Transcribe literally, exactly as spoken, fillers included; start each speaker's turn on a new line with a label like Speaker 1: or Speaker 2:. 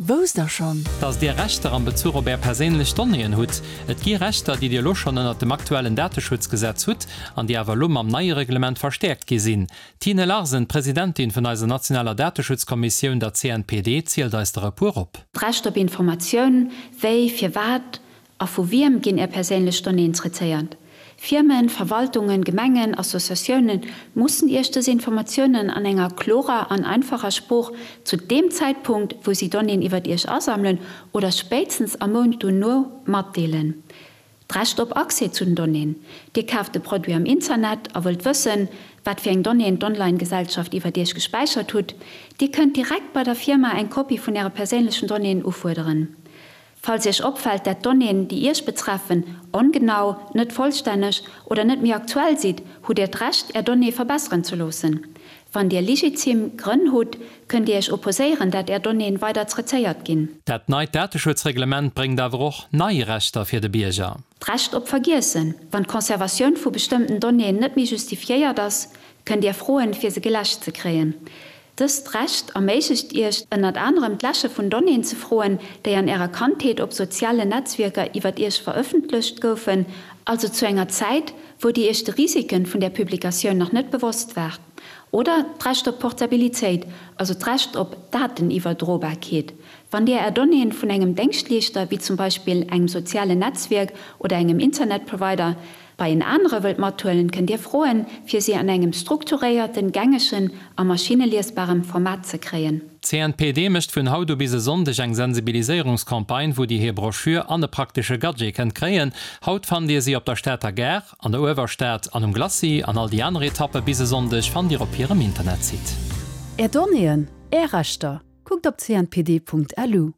Speaker 1: Wousst der schonn?
Speaker 2: Dass Dir Rechter am Bezuch op Är perséinlech Donnéeën hutt? Et gi Rechter, déi Dir elo schonn ënnert dem aktuellen Dateschutzgesetz hutt an déi awer elo mam neie Reglement verstäerkt gi sinn. D'Tine Larsen, Presidentin vun eiser nationaler Dateschutzkommissioun, der C N P D, zielt eis der e puer op.
Speaker 3: D'Recht op Informatioun, Wéi, firwat a vu wiem ginn Är perséinlech Donnéeën traitéiert? Firmen, Verwaltungen, Gemengen, Associatiounen mussen Iech dës Informatiounen an enger klorer an einfacher Sprooch zu deem Zäitpunkt, wou si Donnéeën iwwer Iech asammelen oder spéitstens am Mount dono matdeelen. D'Recht op Accès zu den Donnéeën, Dir kaaft e Produit am Internet a wëllt wëssen, wat fir eng Donnéeën d'Online-Gesellschaft iwwer Iech gespäichert hutt. Dir kënnt direkt bei der Firma eng Kopie vun Äre perséinlechen Donnéeën ufuerderen. Falls Iech opfält, dat Donnéeën, déi Iech betreffen, ongenau, net vollstänneg oder net méi aktuell sinn, hutt Dir d'Recht, Är Donnéeë verbesseren ze loossen. Wann Dir legitim Grënn hutt, kënnt Dir Iech opposéieren, dat Är Donnéeën weider traitéiert ginn.
Speaker 2: Dat neit Dateschutzreglement bréngt awer och nei Rechter fir de Bierger.
Speaker 3: D'Recht op Vergiessen, Wann d'Conservatioun vu bestëmmten Donnéeën net méi justifiéiert ass, kënnt Dir froen, fir se geläscht ze kréien. Dëst Recht erméiglecht Iech ënnert anerem d'Läsche vun Donnéeën ze froen, déi an Ärer Kandheet op sozialen Netzwierker iwwer Iech verëffentlecht goufen, also zu enger Zäit, wou Dir Iech de Risiken vun der Publikatioun nach net bewosst waart. Oder d'Recht op Portabilitéit, also d'Recht op Dateniwwerdrobarkeet. Wann Dir Är Donnéeën vun engem Déngschtleeschter, wéi zum Beispill engem sozialen Netzwierk oder engem Internetprovider, bei en anere wëllt mathuelen, kënnt Dir froen, fir si an engem strukturéierten, gängegen a maschineliesbarem Format ze kréien.
Speaker 2: C N P D mécht vun haut u bis e Sonndeg eng Sensibiliséierungscampagne, wou Dir hir Broschür an e praktesche Gadget kënnt kréien. Haut fannt Dir si op der Stater Gare, an der Uewerstad an um Glacis an all déi aner Etappe bis e Sonndeg fannt Dir op hirem Internetsite.
Speaker 1: Är Donnéeën, Är Rechter. Kuckt op C N P D Punkt L U.